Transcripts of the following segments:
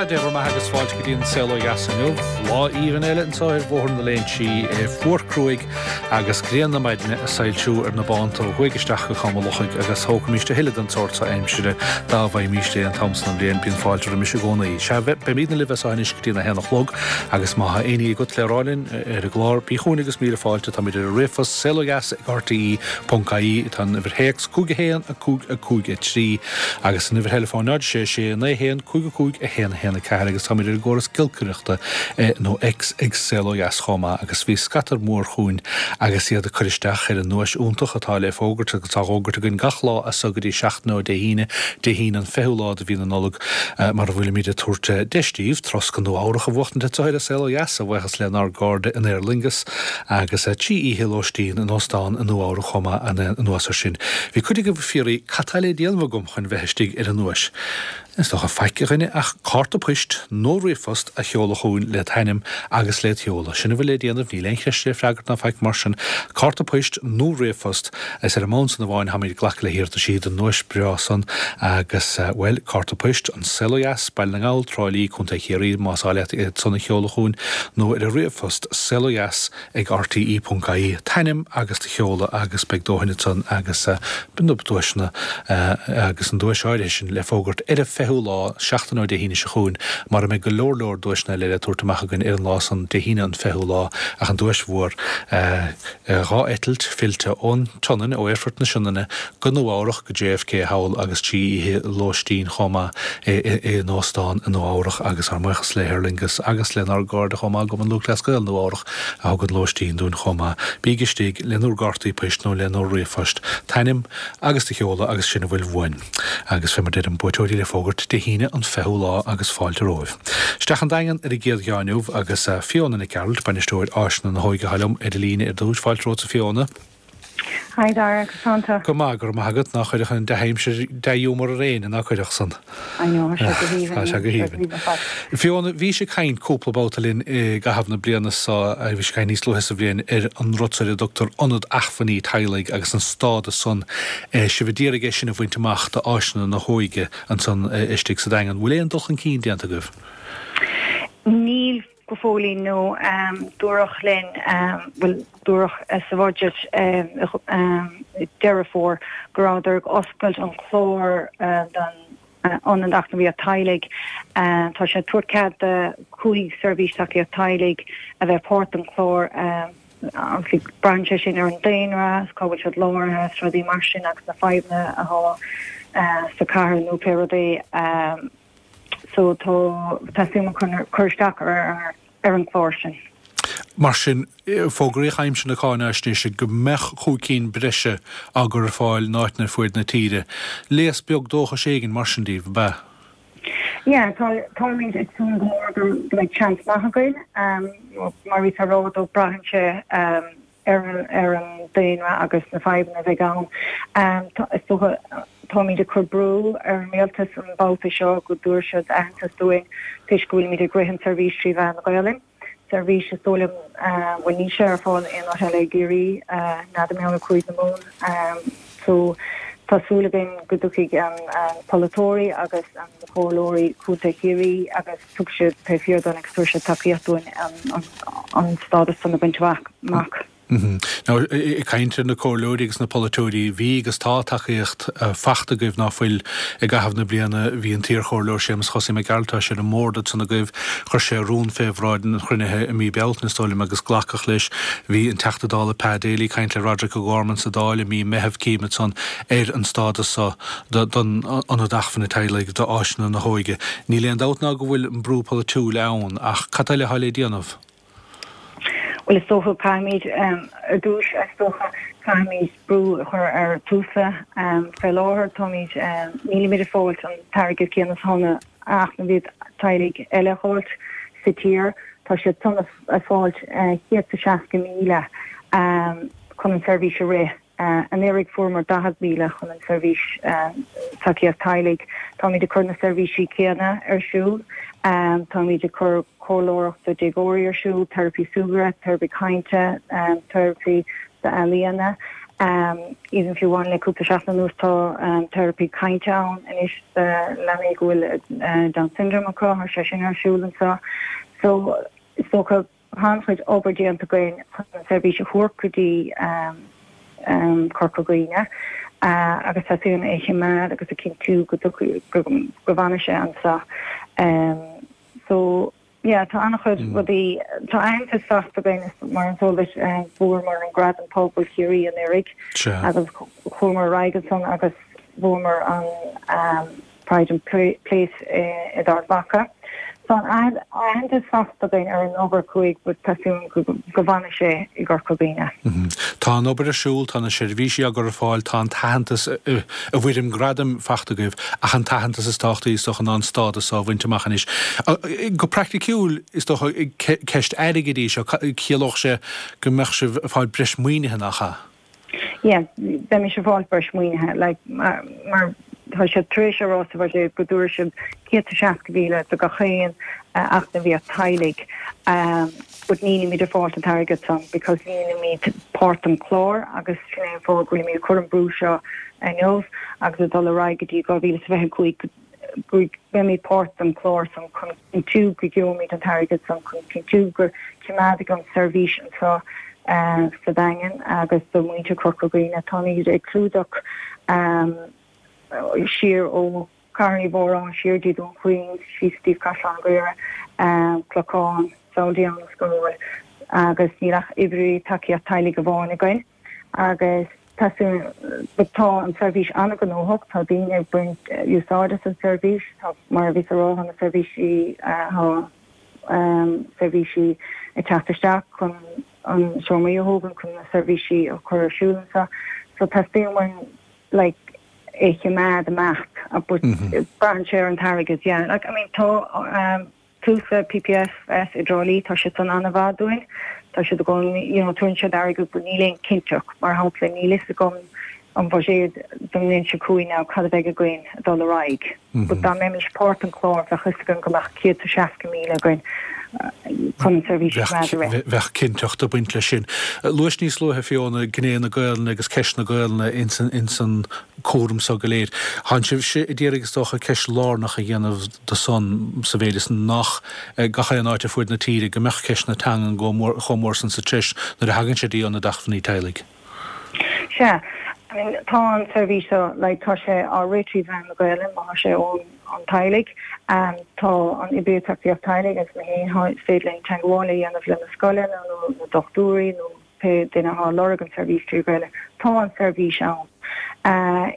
Dé bhur mbeatha agus fáilte go dtí an Saol Ó Dheas inniu. Lá aoibhinn eile anseo ar Bhóthar na Léinsí, é fuar cruaidh agus grian na maidine ag soilsiú ar na bánta ó thuaidh isteach go Cam an Lochaigh agus thógfaimíst a thuilleadh den tsórt so aimsire dá bhfaighimíst é an t-am san den bhliain. Bíonn fáilte roimis i gcónaí. Sea, beimídne libh as seo anois go dtí an 1 a chlog agus má tá aon ní agat le rá linn ar an gclár, bí chugainn agus míle fáilte. Táimid ar an ríomhphost, saolodheas ag rte ponc ie, tá an uimhir théacs 5 1 5 5 3 agus an uimhir theileafóin 0 6 6 9 1 5 5 1 1 4 agus táimid ar an gcóras giolcaireachta nó X ag Saol Ó Dheas chomh maith agus bhí scata mór chugainn agus iad ag cur isteach ar an nduais iontach atá le fógairt agus á fhógairt againn gach lá as so go dtí seachtain ó Dé hAoine, Dé hAoine an 20ú lá de mhí na Nollag mar a bhfuilimid ag tabhairt deis daoibh turas go Nua Eabhrach a bhuachtaint anseo ar an Saol Ó Dheas a bhuíochas lenár gcairde in Aer Lingus. Agus 3 oíche lóistín in óstán i Nua Eabhrac chomh maith anuas ar sin. Bhí cuid agaibh ag fiafraí cad tá le déanamh agam chun bheith istigh ar an nduais. Is dócha faic a dhuine ach cárta poist nó ríomhphost a sheoladh chugainn led hainm agus led sheoladh. Sin a bhfuil le déanamh, níl aon cheist le freagairt ná faic mar sin. Cárta poist nó ríomhphost, is ar an mbonn san amháin táimid ag glacadh le hiarrataisí don nduais breá san agus, bhuel, cárta poist, An Saol Ó Dheas, Baile na nGall, Trá Lí, Co. Chiarraí, más áil leat iad san a sheoladh chugainn nó ar an ríomhphost, saolodheas ag rte ponc ie, t'ainm agus do sheoladh agus beidh dóthain ansan agus na duaiseanna agus an duais áirithe sin le fógairt ar an 20ú lá, seachtain ó Dé hAoine seo chugainn, mar a mbeidh go leor leor duaiseanna eile le tabhairt amach againn ar an lá san, Dé hAoine an 20ú lá, ach an duais mhór, 2 eitilt fillte ón tSionainn, ó Aerfort na Sionainne go Nua Eabhrach, go JFK thall agus 3 oíche lóistín chomh maith in óstán i Nua Eabhrach agus ár mbuíochas le hAer Lingus agus lenár gcairde chomh maith i gCumann Lúthchleas Gael Nua Eabhrach a thug an lóistín dúinn chomh maith. Bígí istigh lenúr gcártaí poist nó lenúr ríomhphost, t'ainm agus do sheoladh agus sin a bhfuil uainn. Agus fé mar deirim, buaiteoirí le fógairt Dé hAoine an 20ú lá agus fáilte romhaibh. Isteach an Daingean ar an gcéad gheá inniu agus Fiona Nic Gearailt, Bainisteoir Áiseanna na hÓige atá liom ar an líne ar dtús. Fáilte romhat a Fiona. Hi Dara, conas tánn tú? Go maith, go raibh maith agat. Ná cuirfeadh an dea-aimsir dea-ghiúmar ar éinne, ná cuirfeadh san? I know, tá sé go haoibhinn. Tá sé go haoibhinn. Fiona, bhís ag caint cúpla babhta linn i gcaitheamh na bliana seo, bhís ag caint níos luaithe sa bhliain, ar an rud ar a dtugtar Ionad Acmhainní Teaghlaigh agus an stádas san, sibh a d'iarraidh é sin a bhaint amach d'áiseanna na hóige ansan istigh sa Daingean. Bhfuil aon dul chun cinn déanta agaibh? Níl. Go fóillín no dúradh linn, bhuel dúradh sa bhudget i Deireadh Fómhair go rabhadar ag oscailt an clár don Ionad Eacnamaíocht Teaghlaigh. Tá sé ag tabhairt cead do 5 seirbhís tacaíocht teaghlaigh a bheith páirt den chlár. Obviously braitheann sé sin ar an daonra, cá bhfuil siad láraithe is rudaí mar sin agus na fadhbanna atá sa chathair nó pé rud é. So tá teastaíonn chun cur isteach ar ar an chlár sin. Mar sin, fógraíodh aimsir na cáinaisnéise go mbeadh 5 cinn breise á gcur ar fáil in áiteanna ar fuaid na tíre. Léas beag dóchais éigin mar sin daoibh, ab ea? Yeah, tá, táimid ag súil go mór go mbeidh seans maith againn. Mar bhíos á rá, though, braitheann sé ar an daonra agus na fadhbanna a bheidh ann. Is dócha, táimid ag cur brú ar an rialtas an babhta seo go dtabharfaidh siad aitheantas dúinn toisc go bhfuilimid ag rith an seirbhís trí mheán na Gaolainne. Seirbhís is dóigh liom, bhuel níl sé ar fáil aon áit eile i gCiarraí, n'fheadar mar gheall ar Cúige na Mumhan. So tá súil againn go dtiocfaidh an polaiteoirí agus an comhairleoirí Contae Chiarraí agus tiocfaidh siad taobh thiar dúinn agus tabharfaidh siad tacaíocht dúinn an stádas san a bhaint amach. Now, ag caint ar na comhairleoirí agus na polaiteoirí, bhí agus tá tacaíocht fachta agaibh ná fuil i gcaitheamh na bliana. Bhí an t-iarchomhairleoir Séamus Chosaí Mac Gearailt, tá sé ar an mbord ansan agaibh, chuir sé rún fé bhráid an chruinnithe i mí Bealtaine, is dóigh liom, agus glacadh leis. Bhí an Teachta Dála Pa Daly ag caint le Roderic O'Gorman sa Dáil i mí Meitheamh, cím ansan, ar an stádas so. don Ionad Acmhainne Teaghlaigh, d'áiseanna na hóige. Níl aon dabht ná go bhfuil an brú polaitiúil ann, ach cad eile atá le déanamh? Bhuel, is dócha, caithfimid, ar dtús, is dócha, caithfimid brú a chur ar Tusla. Fé láthair, táimid, nílimid ag fáilt an t-airgead céanna is atá na eacnamaíocht teaghlaigh eile a fháilt sa tír. Tá siad san ag fáilt 160,000 chun an tseirbhís a rith. Anuraidh fuaireamar 40,000 chun an seirbhís tacaíocht teaghlaigh. Táimid ag cur na seirbhísí céanna ar siúl. Táimid ag cur comhairleoireacht do déagóirí ar siúl, teiripí súgartha, teiripí cainte, teiripí d'ealaíona. Even fiú amháin le cúpla seachtain anuas tá teiripí cainte ann anois do leanaí go bhfuil Down Syndrome acu, tá sé sin ar siúl anseo. So is dócha tá an-chuid obair déanta againn chun an seirbhís a thabhairt go dtí Corca Dhuibhne agus tá súil é a choimeád agus a chinntiú go go bhfanfaidh sé anseo. So yeah tá an-chuid rudaí, tá aitheantas faighte againn mar is eol duit bhuamar an Gradam Pobail Chiarraí anuraidh agus chuamar ar aghaidh ansan agus bhuamar an Pride of Place i d'Ard Mhacha. Tá an aitheantas faighte againn ar an obair chuaigh but tá súil go bhfanfaidh sé i gCorca Dhuibhne. Tá an obair ar siúl, tá na seirbhísí á gcur ar fáil, tá an t-aitheantas i bhfoirm gradaim faighte agaibh ach an t-aitheantas is tábhachtaí is dócha ná an stádas seo a bhaint amach anois. Go praiticiúil, is dócha, ceist airgid í seo, ciallódh sé go mbeadh sibh ag fáil breis maoinithe, nach ea? Yeah, beimis ag fáil breis maoinithe, like, mar, mar tá siad tar éis a rá sa bhuiséad go dtabharfaidh siad 160,000 do gach aon eacnamaíocht teaghlaigh, um, but nílimid ag fáilt an t-airgead san because nílimid páirt den chlár agus sin é an fáth go bhfuilimid ag cur an brú seo inniu agus ag dul ar aghaidh go dtí 2025 go mbeimid páirt den chlár san chun cinntiú go gheobhaimid an t-airgead san chun cinntiú go coimeádfaidh an seirbhís anseo sa Daingean agus do mhuintir Chorca Dhuibhne. Táimid ag clúdach siar ó Chathair Uí Mhóráin siar dtí Dún Chaoin, síos dtí Caisleán an Bharraigh, Clochán, Samhlaigh an scór agus níl ach oibrí tacaíocht teaghlaigh amháin againn. Agus tá tá an tseirbhís an-ghnóthach, tá daoine ag baint úsáid as an tseirbhís, tá, mar a bhíos a rá, tá na seirbhísí, tá seirbhísí ag teacht isteach chun an seomraí a thógaint, chun na seirbhísí a chur ar siúl anseo. So teastaíonn uainn like é choimeád amach but braitheann sé ar an t-airgead, yeah. Like I mean tá Tusla, PPFS i dTrá Lí, tá siad san an-mhaith dúinn. Tá siad i gcónaí, you know, tugann siad airgead but níl aon cinnteacht. Mar shampla, níl fhios agam an bhuiséad don mbliain seo chugainn now cad a bheidh againn ag dul ar aghaidh. But dá mbeimis páirt den chlár bheadh fhios againn go mbeadh 160,000 againn chun an seirbhís a choimeád ar rith. Bheadh cinnteacht ag baint leis sin. Luais níos luaithe, Fiona, gné na Gaelainne agus ceist na Gaelainne ins an cúram so go léir. Tánn sibhse ag iarraidh is dócha ceist lárnach a dhéanamh de san, sa mhéid is nach gach aon áit ar fuaid na tíre go mbeadh ceist na teangan chomh mór san sa treis nuair a thagann sé dtí Ionad Acmhainní Teaghlaigh. Sea. I mean, tá an tseirbhís seo, like, tá sé á rith trí mheán na Gaelainne, má tá sé ón an teaghlaigh. Tá an oibrí tacaíocht teaghlaigh agus mé féin, is féidir linn teagmháil a dhéanamh le na scoileanna nó na dochtúirí nó pé duine atá ag lorg an tseirbhís trí Ghaeilge, tá an tseirbhís ann.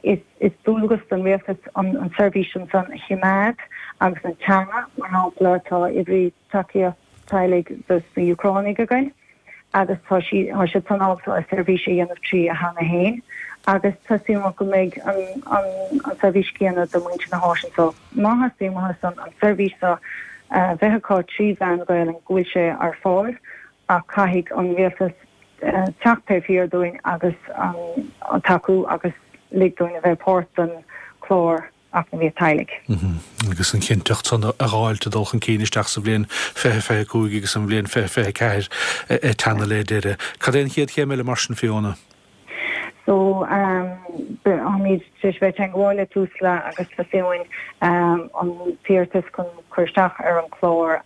Is dualgas don rialtas an tseirbhís ansan a choimeád agus an teanga, mar shampla, tá oibrí tacaíocht teaghlaigh dos na Úcránaigh againn agus tá tá siad san ábalta an seirbhís a dhéanamh trí a theanga féin agus tá súil agam go mbeidh an an tseirbhís céanna do muintir na háite anseo. Má theastaíonn uathu san an tseirbhís seo a bheith acu trí mheán na Gaelainne go bhfuil sé ar fáil. ach caithfidh an rialtas teacht taobh thiar dúinn agus tacú agus lig dúinn a bheith páirt den chlár eacnamaíocht teaghlaigh. Agus an chinnteacht san a dh'fháilt ag dul chun cinn isteach sa bhliain 2025 agus an bhliain 2024 ag teannadh le deireadh. Cad é an chéad chéim eile mar sin, Fiona? So, táimid tar éis bheith i dteagmháil le Tusla agus teastaíonn uainn an t-iarratas chun cur isteach ar an chlár.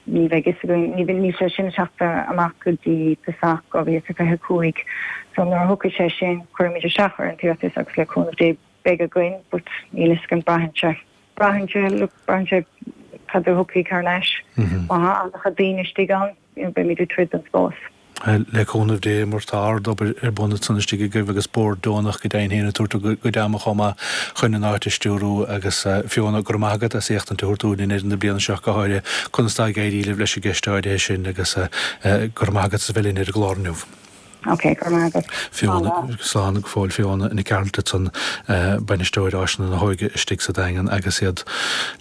Ní bheidh fhios againn, ní bheidh, níl sé sin ag teacht amach go dtí tosach 2025. So nuair a thiocfaidh sé sin, cuirfimid isteach ar an t-iarratas agus le cúnamh Dé beidh againn, but níl fhios againn, braitheann sé, braitheann sé, look, braitheann sé cad a thiocfaidh thar n-ais. Má tá an-chuid daoine istigh ann, beimid ag troid don spás. Le cúnamh Dé, mar tá ard-obair ar bun ansan istigh agaibh agus bord deonach go deimhin féin ag tabhairt a gcuid ama chomh maith chun an áit a stiúrú agus Fiona, go raibh maith agat as éachtaint a thabhairt dúinn i ndeireadh na bliana seo go háirithe conas tá ag éirí libh leis an gceist áirithe sin agus go raibh maith agat as a bheith linn ar an gclár inniu. Ok, go raibh maith agat. Fiona, slán go fóill Fiona Nic Gearailt ansan, Bainisteoir Áiseanna na hÓige istigh sa Daingean agus iad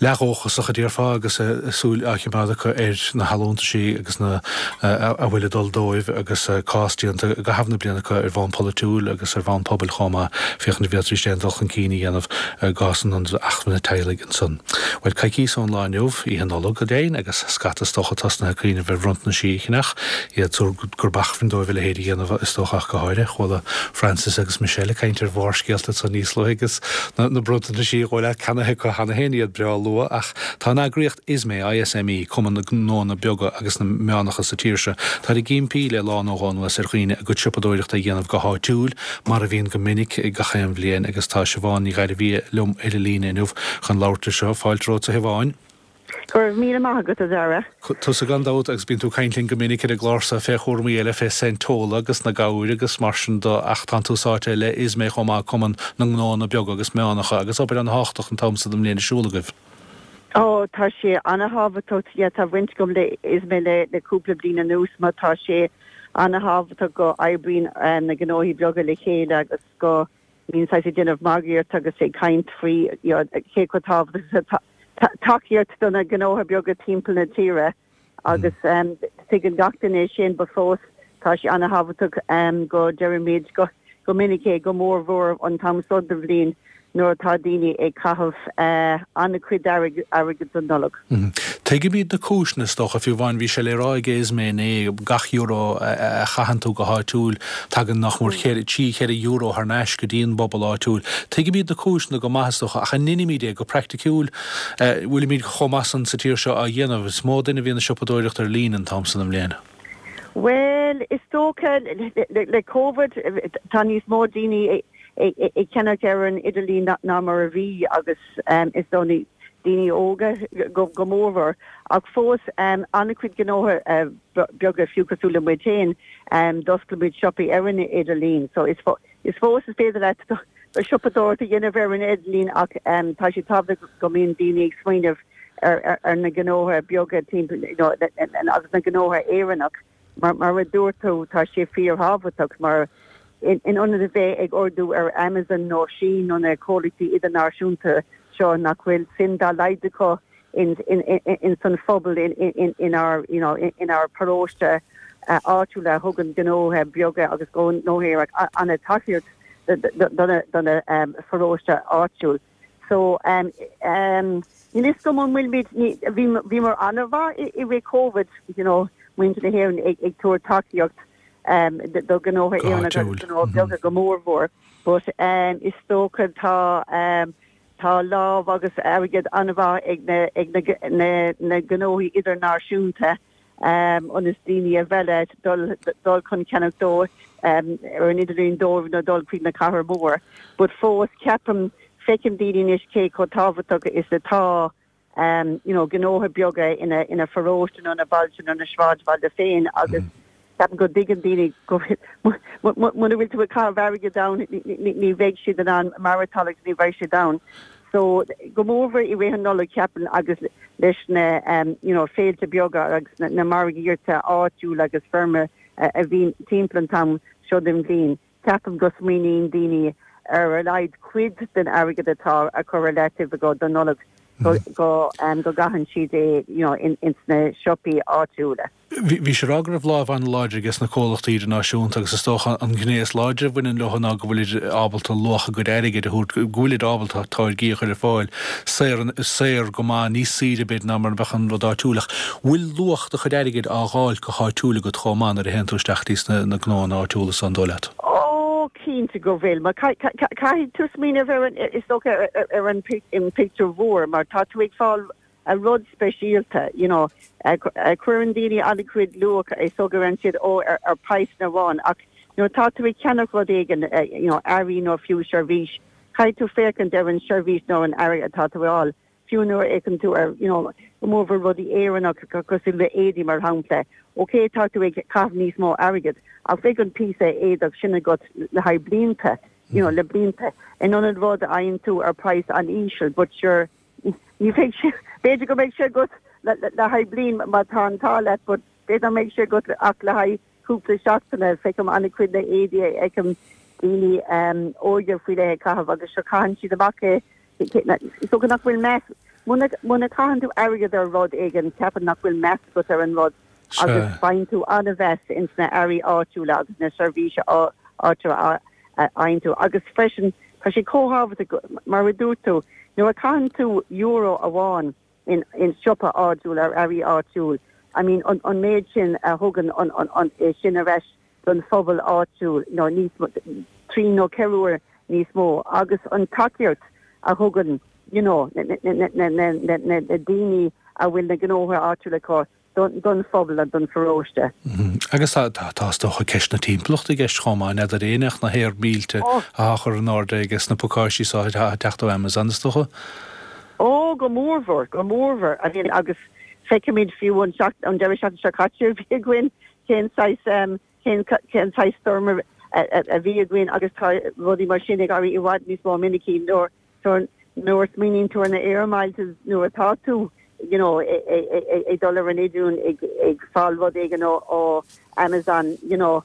leathdhóchasach a déarfá agus súil á choimeád acu ar na hallúntaisí agus na a bhfuil ag dul dóibh agus cás déanta i gcaitheamh na bliana acu ar bhonn polaitiúil agus ar bhonn pobail chomh maith féachaint an bhféadfaidís aon dul chun cinn a dhéanamh i gcás an Ionaid Acmhainne Teaghlaigh ansan. Bhuel, coicíos ón lá inniu, Oíche Nollag go deimhin, agus scata is dócha tosnaithe ag cuimhneamh ar bhronntanaisí a cheannach, iad ag súil gurb acmhainn dóibh a leithéid a dhéanamh. is dócha ach go háirithe. Chuala Francis agus Michelle ag caint ar Bharrscéalta ansan níos luaithe agus na bronntanais a dhul ceannaithe acu cheana féin, iad breá luath. Ach tá an eagraíocht ISME, ISME, Cumann na nGnóanna Beaga agus na Meánacha sa tír seo, táid ag impí le lá nó dhó anuas ar dhaoine a gcuid siopadóireachta a dhéanamh go háitiúil, mar a bhíonn go minic gach aon bhliain, agus tá Siobhán Ní Ghairbhia liom ar an líne inniu chun labhairt air seo. Fáilte romhat a Shiobháin. Go raibh míle maith agat, a Dhara. Tusa gan dabht, agus bíonn tú ag caint linn go minic ar an gclár seo fé chúramaí eile, fé Saint Tola agus na gabhair agus mar sin do, ach tánn tú sáite le ISME chomh maith, Cumann na nGnóanna Beaga agus Meánacha, agus obair an-thábhachtach an t-am so den mbliain ar siúl agaibh. Ó, tá sé an-thábhachtach, yeah, tá baint agam le ISME le le cúpla bliain anuas mar tá sé an-thábhachtach go oibríonn na gnóthaí beaga le chéile agus go mbíonn saghas ag déanamh margaíocht agus ag caint faoi you know cé chomh tábhachtach is atá tacaíocht do na gnóthaí beaga timpeall na tíre agus tuigeann gach duine é sin but fós tá sé an-thábhachtach go deirimid go go minic é, go mór mhór an t-am seo den bhliain nuair atá daoine ag caitheamh an-chuid airgid don Nollaig. Tuigimid na cúiseanna, is dócha, fiú amháin, bhí sé le rá ag ISME inné, gach euro a chaitheann tú go háitiúil, tagann nach mór trí, cheithre euro thar n-ais go dtí an bpobal áitiúil. Tuigimid na cúiseanna go maith, is dócha, ach an ndeinimid é go praiticiúil? Bhfuilimid chomh maith san sa tír seo á dhéanamh? Is mó duine a bhíonn ag siopadóireacht ar líne an t-am san den mbliain. Bhuel, is dócha, le Covid, tá níos mó daoine ag ceannach ar an idirlíon ná mar a bhí agus is dóigh daoine óga go mórmhór. Ach fós, an-chuid gnótha beaga, fiú cosúil le muid féin, d'oscail muid siopaí ar an idirlíon. So is fós is féidir leat do siopadóireacht a dhéanamh ar an idirlíon ach tá sé tábhachtach go mbíonn daoine ag smaoineamh ar na gnótha beaga timpeall you know agus na gnótha Éireannach. Mar mar a dúirt tú, tá sé fíorthábhachtach mar in ionad a bheith ag ordú ar Amazon nó Shein nó na comhlachtaí idirnáisiúnta seo nach bhfuil suim dá laghad acu in in san phobal in inár you know inár paróiste áitiúil a thugann gnótha beaga agus gnótha Éireannacha an-tacaíocht do na pharóiste áitiúil. So um um níl fhios agam an bhfuilimid ní bhí bhíomar an-mhaith i i rith Covid you know muintir na hÉireann ag ag tabhairt tacaíocht um do ghnótha Go Éireannacha agus háitiúil. gnótha beaga go mórmhór but um is dócha tá um tá lámh agus airgead an-mhaith ag na ag na na na gnóthaí idirnáisiúnta ionas daoine a mhealladh dul dul chun ceannach dó ar an idirlíon dóibh nó dul chuig na cathair mhór. But fós ceapaim, feicim daoine anois cé chomh tábhachtach is atá you know gnótha beaga ina ina pharóiste nó ina bailte nó ina sráidbhaile féin agus ceapaim go dtuigeann daoine go muna bhfuil tú ag caitheamh airgead ann ní bheidh siad in ann maireachtáil agus ní bheidh siad ann. So, go mórmhór i rith an Nollaig ceapaim agus leis na you know féilte beaga agus na margaíochta áitiúil agus feirme a bhíonn timpeall an t-am seo den bhliain, ceapaim go smaoiníonn daoine ar a laghad cuid den airgead atá á chur ar leataobh acu don Nollaig go go go gcaitheann siad é you know in ins na siopaí áitiúla. Bhí sé ag rá go raibh lámh an-láidir ages na comhlachtaí idirnáisiúnta agus is dócha an ghné is láidre a bhaineann leo ná go bhfuilid ábalta luach a gcuid airgid a thabhairt, go bhfuilid ábalta táirgí a chur ar fáil saor, saor go maith, níos saoire b'fhéidir ná mar a bheadh an rud áitiúil. Ach bhfuil luach do chuid airgid á dh'fháilt go háitiúil agat chomh maith nuair a théann tú isteach dtí sna gnóanna áitiúla so an dóigh leat? Ó, cinnte go bhfuil. Mar caithfidh tú smaoineamh ar an, is dócha, ar an pictiúr mhór mar tá tú ag fáil a rud speisialta, you know. Cuireann daoine an-chuid luach is dócha go ndeireann siad ó ar ar praghsanna amháin ach nuair atá tú ag ceannach rud éigin, you know, earraí nó fiú seirbhís, caithfidh tú féachaint ar an seirbhís nó an earra atá tú a fháil. Fiú nuair a fhéachann tú ar, you know, go mórmhór rudaí Éireannach cosúil le éadaí mar shampla, ok tá tú ag caitheamh níos mó airgid ach beidh an píosa éadach sin agat le haghaidh blianta, you know, le blianta, in ionad rud a fhaigheann tú ar praghas an-íseal but sure, Ní bheidh sé, b'fhéidir go mbeidh sé agat le haghaidh bliain má tá an t-ádh leat but b'fhéidir nach mbeidh sé agat ach le haghaidh cúpla seachtaine. Feicim an-chuid na éadaí a fheicim daoine óige faoi leith ag caitheamh agus sure caitheann siad amach é. Is dócha nach bhfuil meas, muna gcaitheann tú airgead ar rud éigin ceapaim nach bhfuil meas agat ar an rud agus faigheann tú an-mheas ins na earraí áitiúla agus na seirbhíse áitiúla a fhaigheann tú. Agus freisin, tá sé chomh thábhachtach, mar a dúirt tú, nuair a chaitheann tú euro amháin in in siopa áitiúil ar earraí áitiúil, I mean, an an méid sin a thugann an an an é sin ar ais. don phobal áitiúil, nó níos mó, 3 nó 4 uair níos mó, agus an tacaíocht a thugann you know na daoine a bhfuil na gnóthaí áitiúla acu don phobal and don pharóiste. Agus tá is dócha ceist na timpeallachta i gceist chomh maith, n'fheadar éinne ach na haer mílte atá á chur in airde aige sna pacáistí so atá ag teacht ó Amazon is dócha. Ó, go mórmhór, go mórmhór. I mean agus feicimid fiú an an deireadh seachtaine seo caite a bhí againn cén saghas cén cén saghas stoirm a bhí againn agus tá rudaí mar sin ag éirí i bhfad níos mó minicí nuair Nuair a smaoiníonn tú ar na air miles nuair atá tú you know ag dul ar an idirlíon ag fáil rud éigin ó Amazon you know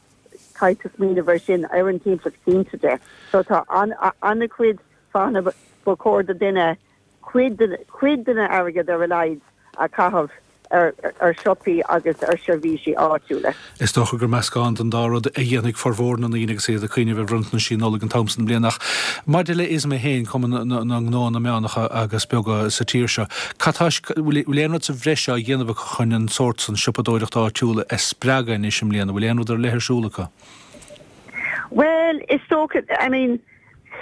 caithfidh tú smaoineamh ar sin ar an timpeallacht cinnte de. So tá an-chuid fáthanna ba chóir do duine cuid cuid den airgead ar a laghad a chaitheamh ar shiopaí agus ar sheirbhísí áitiúla. Is dócha gur meascán den dá rud a dhéanfaidh formhór na ndaoine agus iad ag cuimhneamh ar bhronntanasí Nollag an t-am san den bhliain. Ach maidir le ISME féin, Cumann na nGnóanna Meánacha agus Beaga sa tír seo, cad tá, bhfuil aon rud sa bhreis á dhéanamh acu chun an sórt san siopadóireacht áitiúil a spreagadh anois i mbliana? Bhfuil aon rud ar leith ar siúl acu? Bhuel, is dócha, I mean,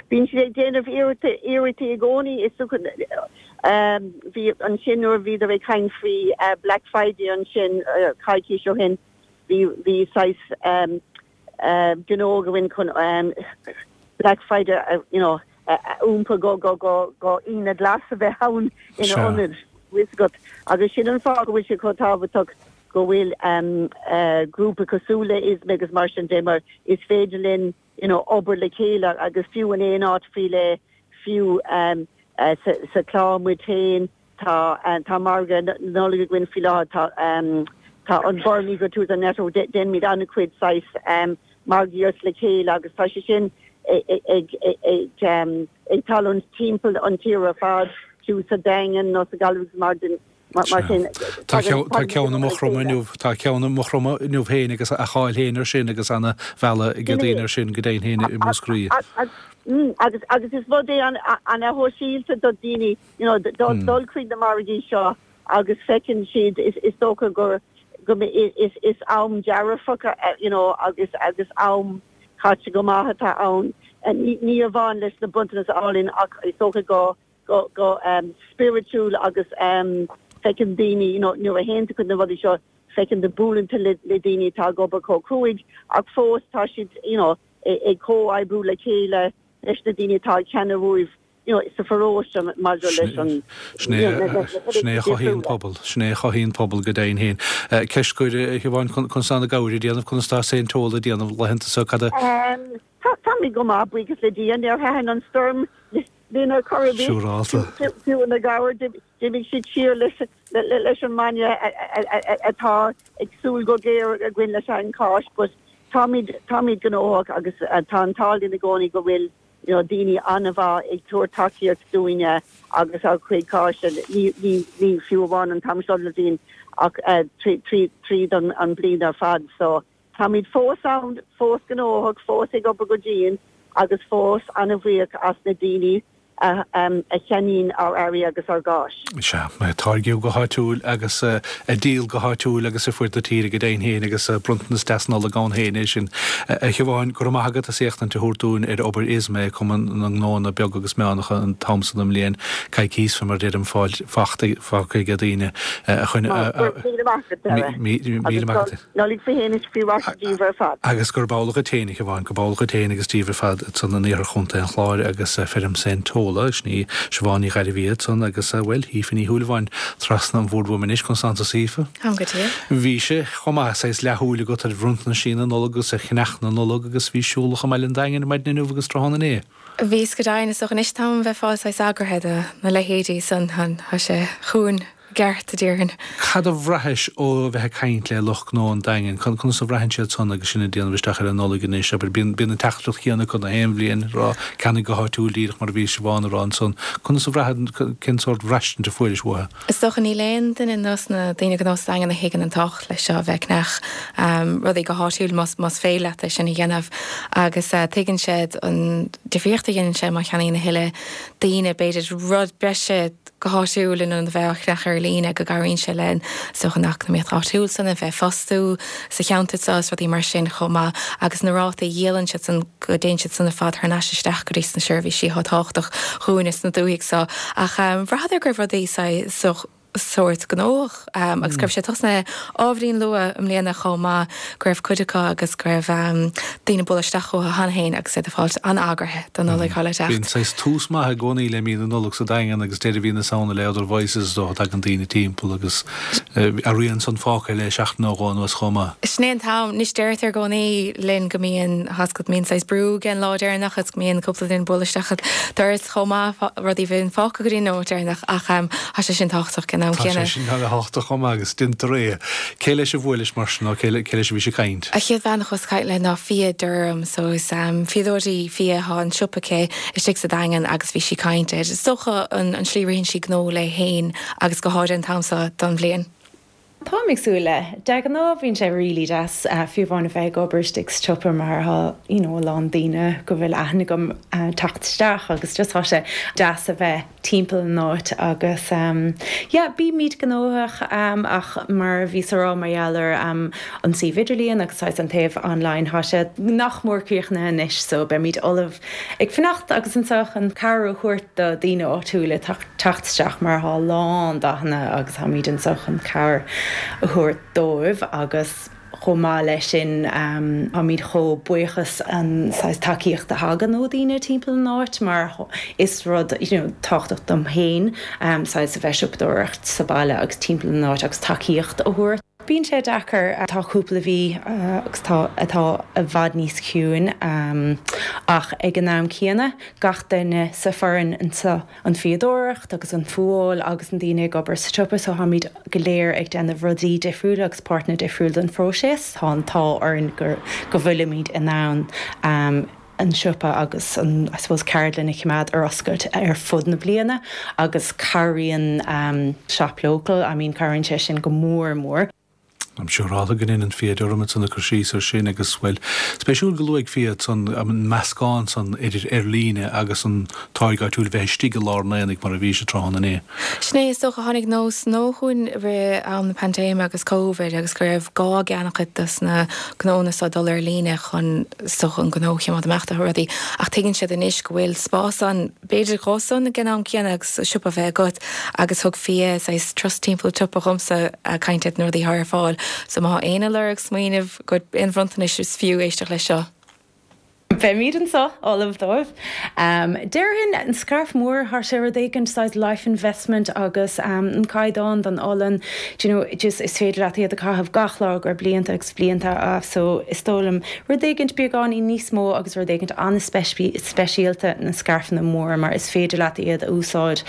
Bíonn siad ag déanamh iarrachtaí i gcónaí. Is dócha, bhí ansin nuair a bhíodar ag caint faoi Black Friday ansin coicís ó shin, bhí bhí saghas gnó againn chun Black Friday you know a iompar go go go go Aoine Glas a bheith ann ina ionad, bhfuil fhios agat. Agus sin an fáth go bhfuil sé chomh tábhachtach go bhfuil grúpa cosúil le ISME agus mar sin de mar is féidir linn you know obair le chéile agus fiú in aon áit faoi leith, fiú sa Chlár muid féin, tá tá margadh Nollag againn faoi láthair, tá tá an Burren Eco-Tourism Network, déanaimid an-chuid saghas margaíocht le chéile agus tá sé sin ag ag ag tarlúint timpeall an tír ar fad, fiú sa Daingean nó sa Ghaillimh agus mar Mar sin, Tá ceann i Maigh Chromtha inniu, tá ceann i Maigh Chromtha inniu féin agus a cháil féin ar sin agus ana mhealladh ag daoine ar sin go deimhin féin i Múscraí. Agus agus is rud é ana-shóisialta do daoine, you know, dul chuig na margaí seo agus feiceann siad, is dócha gur go is is am dearfach, you know, agus agus am caite go maith atá ann. Ní amháin leis na bronntanais álainn ach is dócha go go go spiritual agus feiceann daoine you know nuair a théann tú chuig na rudaí seo feiceann tú buaileann tú le le daoine atá ag obair chomh cruaidh ach fós tá siad you know ag comhoibriú le chéile leis na daoine atá ag ceannach uaibh you know sa pharóiste maidir leis an Sin é a chothaíonn pobal, sin é a chothaíonn pobal go deimhin féin. Ceist scoir a Shiobháin, conas tá na gabhair ag déanamh, conas tá Saint Tola ag déanamh laethanta seo, cad a. Táimid go maith, buíochas le Dia, níor thaitin an stoirm linn ar chor ar bith. Siúrálta. Fiú na gabhair, d'imigh siad siar leis an mbainne atá ag súil go géar againn leis an Cháisc but táimid, táimid gnóthach agus tá an t-ádh linn i gcónaí go bhfuil you know daoine an-mhaith ag tabhairt tacaíocht dúinne agus ár gcuid cáise, ní, ní, ní fiú amháin an t-am seo den bhliain ach tríd an bliain ar fad so Táimid fós ann, fós gnóthach, fós ag obair go dian agus fós an-bhuíoch as na daoine a cheannaíonn ár earraí agus ár gcáis. Sea, ag táirgeadh go háitiúil agus ag díol go háitiúil agus ar fuaid na tíre go deimhin féin agus bronntanas deas Nollag ann féin é sin. A Shiobháin, go raibh maith agat as éachtaint a thabhairt dúinn ar obair ISME, Cumann na nGnóanna Beaga agus Meánacha an t-am so den mbliain. Coicís faoi mar a deirim, fágtha ag daoine a choinne. Míle maith agat, Dara. Míle maith agat. Nollaig faoi shéan is faoi mhaise daoibh ar fad. Agus gurb amhlaidh dhuit féin, a Shiobháin, gurb amhlaidh dhuit féin agus daoibh ar fad ansan in iarthar Chontae an Chláir agus feirm Saint Tola, sin í Siobhán Ní Ghairbhia ansan agus, bhuel, Aoife Ní Shúilleabháin trasna an bhoird uaim anois, conas tánn tusa Aoife? Táim go diail. Bhí sé chomh maith, saghas leathshúil agat ar bhronntanasí na Nollag agus ar cheannach na Nollag agus bhís siúlach i mbaile an Daingin ar maidin inniu agus tráthnóna inné. Bhíos go deimhin, is dócha anois táim a bheith fáil saghas eagraithe do na leithéidí san, tá sé chugainn i gceart, a déarfainn. Cad a bhraithis ó bheith ag caint le lucht gnó an Daingin? Conas a bhraitheann siad san agus sinn ag déanamh isteach ar an Nollaig anois? Abair, bíonn bíonn an teachtaireacht chéanna acu na haon bhliain, ag rá ceannaigh go háitiúil díreach mar a bhí Siobhán a rá ansan. Conas a bhraitheann, cén sórt bhraistint a fuairis uathu? Is dócha níl aon duine dos na daoine gnó sa Daingean a thuigeann an tábhacht leis seo a bheith ag ceannach rudaí go háitiúil más más féidir leat é sin a dhéanamh agus tuigeann siad an difríocht a dhéanann sé má cheannaíonn a thuilleadh daoine b'fhéidir rud breise go háitiúil in ionad a bheith á cheannach ar líne. líne, go gcabhraíonn sé le is dócha an eacnamaíocht áitiúil san a bheith ag fostú sa cheantar seo is rudaí mar sin chomh maith agus na rátaí a dhíolann siad san go dtéann siad san ar fad thar n-ais isteach go dtí sna seirbhísí atá tábhachtach dhúinne sna dúthaigh so. Ach bhraitheadar go raibh rudaí saghas sórt gnóthach agus go raibh sé tosnaithe ábhairín luath i mbliana chomh maith, go raibh cuid acu agus go raibh daoine ag bualadh isteach chucu cheana féin agus iad ag fáilt an-eagraithe don Nollaig atá le teacht. Bíonn saghas tús maith i gcónaí le mí na Nollag sa Daingean agus deireadh mhí na Samhna le Other Voices is dócha, tagann daoine timpeall agus a rian san fágtha le seachtain nó dhó anuas chomh maith. Sin é an t-am. Anois deirtear i gcónaí linn go mbíonn, tá a fhios agat, go mbíonn saghas brú ag an lá deireanach agus go mbíonn cúpla duine ag bualadh isteach an doras chomh maith, rudaí a bhíonn fágtha go dtí an nóiméad deireanach ach tá sé sin tábhachtach ag an am Tá céanna. sé sin ana-thábhachtach chomh maith agus déantar é. Cé leis a bhuailis mar sin nó cé leis a bhís ag caint? An chéad bhean a chuas ag caint léi ná Fia Durham so is fíodóir í Fia, tá an siopa aici istigh sa Daingean agus bhí sí ag caint ar, is dócha, an slí a ritheann sí gnó léi féin agus go háirithe an t-am seo don bhliain. Táim ag súil le. De ghnáth bíonn sé really deas fiú amháin a bheith ag obair istigh sa tsiopa mar tá you know a lán daoine go bhfuil aithne agam teacht isteach agus just tá sé deas a bheith timpeall an áit agus yeah bímid gnóthach ach mar a bhíos a rá mar gheall ar an suíomh idirlíon agus saghas an taobh online tá sé nach mór críochnaithe anois so beimid ullamh ag fanacht agus anseo chun cabhair a thabhairt do daoine áitiúla teacht isteach mar thá a lán dathanna agus táimid anseo chun cabhair a thabhairt dóibh agus chomh maith leis sin táimid chomh buíoch as an saghas tacaíocht a thagann ó daoine timpeall an áit mar is rud you know tábhachtach dom féin saghas a bheith siopadóireacht sa baile agus timpeall an áit agus tacaíocht a thabhairt. Bíonn sé deacair. Tá cúpla mhí agus tá atá i bhfad níos ciúin ach ag an am céanna gach duine sa foireann anseo, an fíodóireacht agus an fuáil agus an daoine ag obair sa tsiopa so táimid go léir ag déanamh rudaí difriúla agus páirteanna difriúil den phróiseas. Tá an t-ádh orainn go bhfuilimid in ann an siopa agus an, I suppose, ceardlann a choimeád ar oscailt ar fud na bliana agus cabhraíonn Shop Local, I mean cabhraíonn sé sin go mór mór. I'm siúráilte go ndéanann Fia Durham ansan ag cur síos ar sin agus, bhuel, spéisiúil go luaigh Fia ansan an meascán san idir ar líne agus an táirge áitiúil bheith istigh i lár an aonaigh mar a bhí sé tráthnóna inné. Sin é, is dócha, tháinig nós nua chugainn i rith am na paindéime agus Covid agus go raibh gá ag an-chuid dos na gnónna so dul ar líne chun, is dócha, an gnó a choimeád ag imeacht agus rudaí ach tuigeann siad anois go bhfuil spás ann b'fhéidir dhósan ag an am céanna agus siopa a bheith agat agus thug Fia saghas turas timpeall an tsiopa dhomsa ag caint ar na rudaí atá ar fáil so má tá éinne ag lorg smaoineamh go aon bhronntanais is fiú éisteacht leis seo. Beimid anseo ullamh dóibh. Déarfainn an scairf mór, thá sé rud éigin saghas life investment agus an caighdeán don olann, do you know, just is féidir leat iad a chaitheamh gach lá go blianta agus blianta so is dóigh liom rud éigint beagáinín níos mó agus rud éigint an-speisialta na scairfeanna móra mar is féidir leat iad a úsáid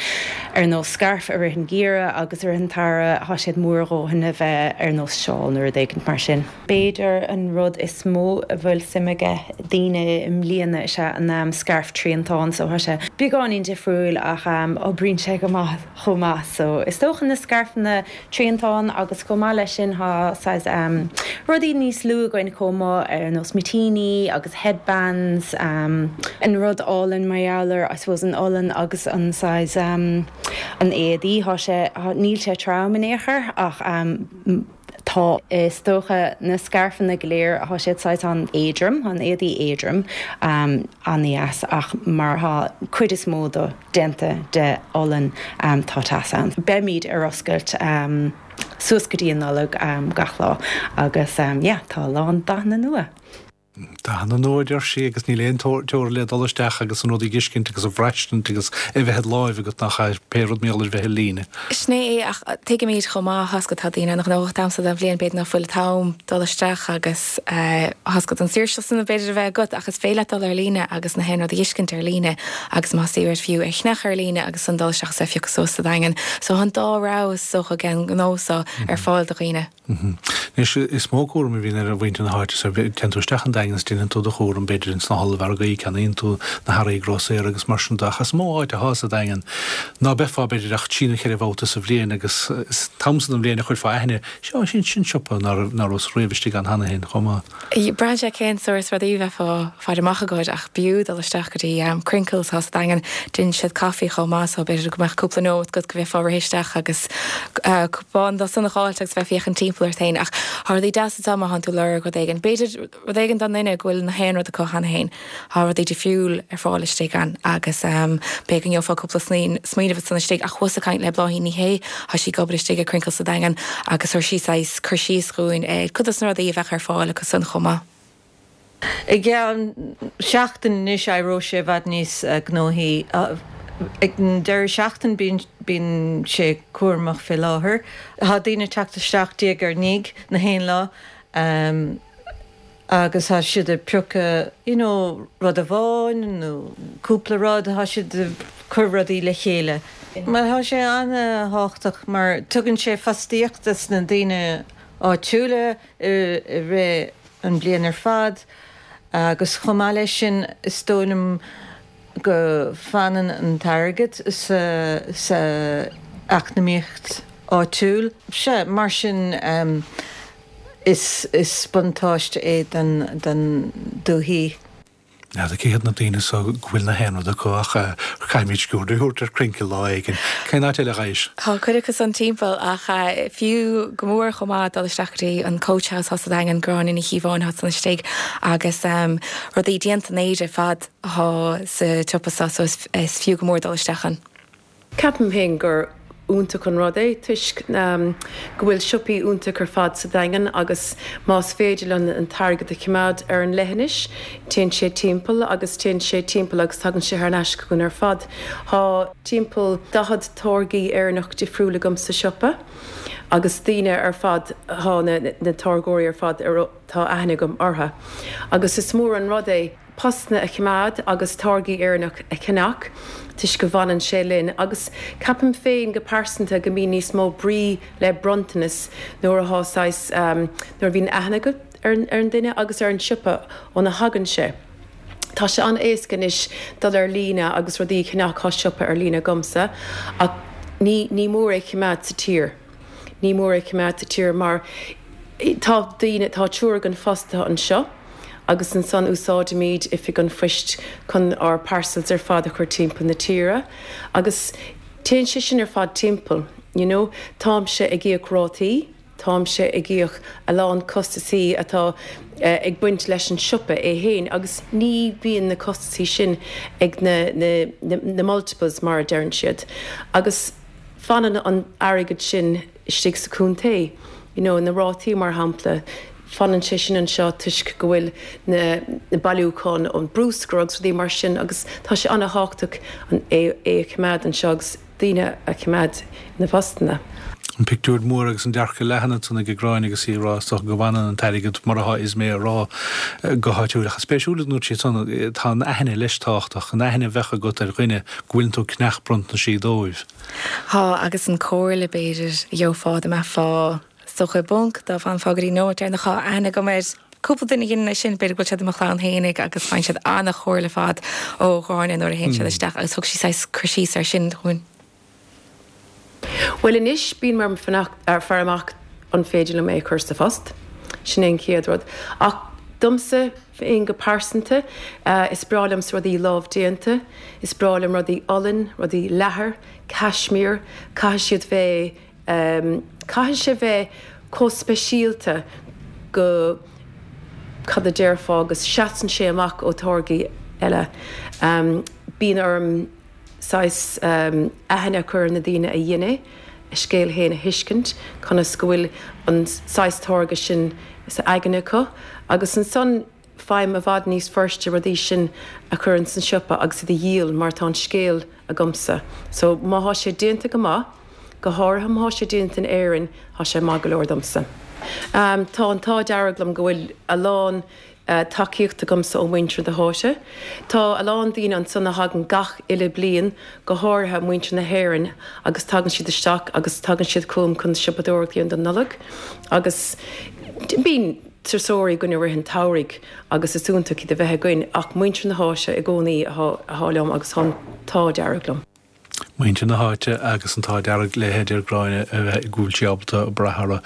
ar nós scairf i rith an gheimhridh agus i rith an tsamhraidh, thá siad mór a dhóthain a bheith ar nós seál nó rud éigint mar sin. B'fhéidir an rud is mó a bhfuil suim aige daoine i mbliana is ea an scairf triantán so thá sé beagáinín difriúil ach oibríonn sé go maith chomh maith so is dócha na scairfeanna triantán agus chomh maith leis sin thá saghas rudaí níos lú againn chomh maith ar nós mitíní agus headbands an rud álainn mar gheall ar I suppose an olann agus an saghas an éadaí thá sé níl sé trom in aon chor ach Tá, is dócha, na scairfeanna go léir, thá siad saghas an-éadrom, an éadaí éadrom, an-dheas ach mar thá cuid is mó do déanta de olann, tá teas ann. Beimid ar oscailt suas go dtí an Nollaig gach lá agus yeah, tá a lán dathanna nua. Dathanna nua, a deir sí, agus níl aon teora le dul isteach agus an rud a dh'fheiscint agus a bhraistint agus é bheith id láimh agat nach ea, pé rud mar gheall ar bheith ar líne. Sin é é, ach tuigimid chomh maith, tá a fhios agat, tá daoine an-ghnóthach an t-am so den bhliain, b'fhéidir ná fuil an t-am dul isteach agus tá a fhios agat an saoirse san b'fhéidir a bheith agat ach is féidir leat dul ar líne agus na haon rud a dh'fheiscint ar líne agus más iarraidh fiú é a cheannach ar líne agus ansan dul isteach is é a phiocadh suas sa Daingean. So tá an dá rogha is dócha den ghnó so ar fáil do dhaoine. Anois, is mó cúram a bhíonn ar mhuintir na háite, téann tú isteach an Daingean. Daingean is déanann tú do chúram b'fhéidir ins na hollmhargaí, ceannaíonn tú na hearraí grósaera agus mar sin de ach is mó áit athá sa Daingean ná beifeá b'fhéidir ach trí nó cheithre bhabhta sa bhliain agus is an t-am san den bhliain a chuirfeá aithne, seo, sin, sin siopa ná rabhas riamh istigh ann cheana féin chomh maith. Braitheann sé cén sórt rudaí a bheifeá ag faire amach agat ach b'fhiú dul isteach go dtí Crinkles atá sa Daingean. Déanann siad caife chomh maith so b'fhéidir go mbeadh cúpla nóiméad agat go bhféadfá rith isteach agus cupán dó san a dh'fháilt agus bheith ag féachaint timpeall ort féin. Ach tá rudaí deasa anseo má thánn tú ag lorg rud éigin. B'fhéidir rud éigin don duine go bhfuil na haon rud acu cheana féin. Tá rudaí difriúil ar fáil istigh ann agus b'fhéidir go ngeofá cúpla smaoineamh ansan istigh. Ach chuas ag caint le Bláithín Ní Shé, tá sí ag obair istigh i Crinkles sa Daingean agus chuir sí saghas cur síos dhúinn ar cuid dos na rudaí a bheadh ar fáil acu san chomh maith. I gceann seachtain anois éireoidh sé i bhfad níos gnóthaí. Ag an deireadh seachtaine bíonn sé cúramach fé láthair. Tá daoine ag teacht isteach diaidh ar ndiaidh na haon lá. agus tá siad ag piocadh you know rud amháin nó cúpla rud, tá siad ag cur rudaí le chéile. Bhuel tá sé an-thábhachtach mar tugann sé fostaíocht dos na daoine áitiúla i rith an bhliain ar fad agus chomh maith leis sin is dóigh liom go fanann an t-airgead sa sa eacnamaíocht áitiúil. Sea, mar sin Is buntáiste é don dúthaigh. N'fheadar cé hiad na daoine so go bhfuil na haon rud acu ach caithfimid cuairt a thabhairt ar Crinkle lá éigin. Cén áit eile a Ghaois? Tá cuid acu san timpeall ach fiú go mór chomh maith dul isteach go dtí an Coach House thá sa Daingean, Gráinne Ní Chíobháin thá san istigh agus rudaí déanta in Éire ar fad athá sa tsiopa so so is fiú go mór dul isteach ann. Ceapaim féin gur iontach an rud é toisc go bhfuil siopaí iontach ar fad sa Daingean agus más féidir linn an t-airgead a choimeád ar an leithinis, téann sé timpeall agus téann sé timpeall agus tagann sé thar n-ais chugainn ar fad. Tá timpeall 40 táirgí Éireannach difriúil agam sa siopa agus daoine ar fad, tá na táirgeoirí ar fad ar tá aithne agam orthu agus is mór an rud é. postanna a choimeád agus táirgí Éireannach a cheannach toisc go bhfanann sé linn agus ceapaim féin go pearsanta go mbíonn níos mó brí le bronntanas nuair atá saghas nuair a bhíonn aithne agat ar an duine agus ar an siopa óna thagann sé. Tá sé an-éasca anois dul ar líne agus rudaí a cheannach, tá siopa ar líne agamsa ach ní ní mór é a choimeád sa tír. Ní mór é a choimeád sa tír mar tá daoine, tá triúr againn fostaithe anseo. agus ansan úsáidimid oifig an phoist chun ár parcels ar fad a chur timpeall na tíre agus téann sé sin ar fad timpeall, you know. Táimse ag íoc rátaí, táimse ag íoc a lán costasaí atá ag baint leis an siopa é fhéin agus ní bhíonn na costasaí sin ag na, na, na multiples mar a deireann siad agus fanann an airgead sin istigh sa chontae, you know, na rátaí mar shampla, fanann sé sin anseo toisc go bhfuil na na bailiúcháin ón brúscar agus rudaí mar sin agus tá sé an-thábhachtach an é é a choimeád anseo agus daoine a choimeád ina bpostanna. An pictiúr mór agus an dearcadh leathan ansan ag Gráinne agus í ag rá is dócha go bhfanann an t-airgead mar atá Ismay a rá go háitiúil ach is spéisiúil a dúirt sí ansan tá an aithne leis tábhachtach, an aithne a bheadh agat ar dhuine go bhfuileann tú ag ceannach bronntaisí dóibh. Tá, agus an comhairle, b'fhéidir, a gheofá dá mbeifeá is dócha i bponc, dá bhfanfá go dtí an nóiméad deireanach, tá aithne agam ar cúpla duine a dhéanann é sin, b'fhéidir go bhfuil siad i mo chlann fhéinig agus faigheann siad an-chomhairle ar fad ó Ghráinne nuair a théann siad isteach agus thug sí saghas cur síos air sin dhúinn. Bhuel anois, bím ag fanacht, ag faire amach an féidir liom é a chur sa phost, sin é an chéad rud. Ach domsa féin go pearsanta, is breá liomsa rudaí lámhdéanta, is breá liom rudaí olann, rudaí leathair, cashmere, caithfidh siad bheith, caithfidh sé bheith chomh speisialta go, cad a déarfá, go seasann sé amach ó táirgí eile. Bíonn orm saghas aithne a chur ar na daoine a dhein é, a scéal féin a thuiscint, conas go bhfuil an saghas táirge sin sa aigne acu agus ansan faighim i bhfad níos fuirste rudaí sin a chur ins an siopa agus iad a dhíol mar tá an scéal agamsa. So má thá sé déanta go maith, go háirithe má thá sé déanta in Éirinn, thá sé maith go leor domsa. Tá an t-ádh dearg liom go bhfuil a lán tacaíocht agamsa ó mhuintir na háite. Tá a lán daoine ansan a thagann gach uile bliain, go háirithe muintir na hÉireann agus tagann siad isteach agus tagann siad chugam chun siopadóireacht a dhéanamh don Nollaig agus bíonn. turasóirí againn i rith an tsamhraidh agus is iontach iad a bheith againn ach muintir na háite i gcónaí atá liom agus tá an t-ádh dearg liom. Muintir na háite agus an t-ádh dearg léi, a deir Gráinne, a bheith go bhfuil sí ábalta brath orthu.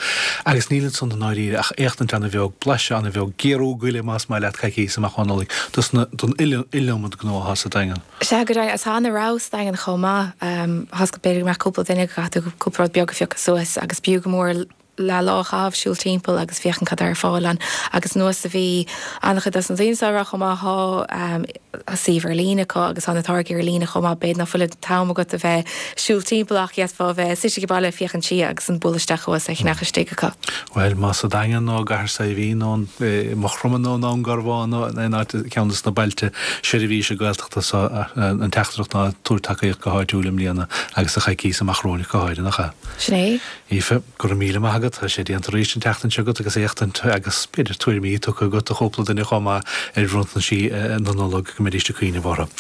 Agus níl ansan i ndáiríre ach éachtaint ana-bheag, blaiseadh ana-bheag, géarú goile más maith leat coicíos amach ó Nollaig dos na, don iliomad gnó atá sa Daingean. Sea, go deimhin, tá ana-rogha sa Daingean chomh maith. Tá b'fhéidir go mbeadh cúpla duine go gcaithfidh tú cúpla rud beag a phiocadh suas agus b'fhiú go mór le lá a chaitheamh siúl timpeall agus féachaint cad tá ar fáil ann. Agus anuas a bhí an-chuid dos na daoine seo ag rá chomh maith, tá suíomh ar líne acu agus tá na táirgí ar líne chomh maith. B'fhéidir ná fuil an t-am agat a bheith siúl timpeall ach d'fhéadfá a bheith suite ag baile ag féachaint siar agus an bualadh isteach thuas é a cheannach istigh acu. Bhuel, más sa Daingean nó i gCathair Saidhbhín nó i Maigh Chromtha nó i nDún Garbhán nó in aon áit, ceann des na bailte seirbhíse Gaeltachta so, an teachtaireacht ná tabhair tacaíocht go háitiúil i mbliana agus sa choicíos amach romhainn go háirithe, nach ea? Sin é. Aoife, go raibh míle maith agat. Tá sé déanta arís an tseachtain seo agat agus éachtaint agus b'fhéidir tuairimí tugtha agat do chúpla duine chomh maith ar bhronntaisí na Nollag go mbeidís ag cuimhneamh orthu.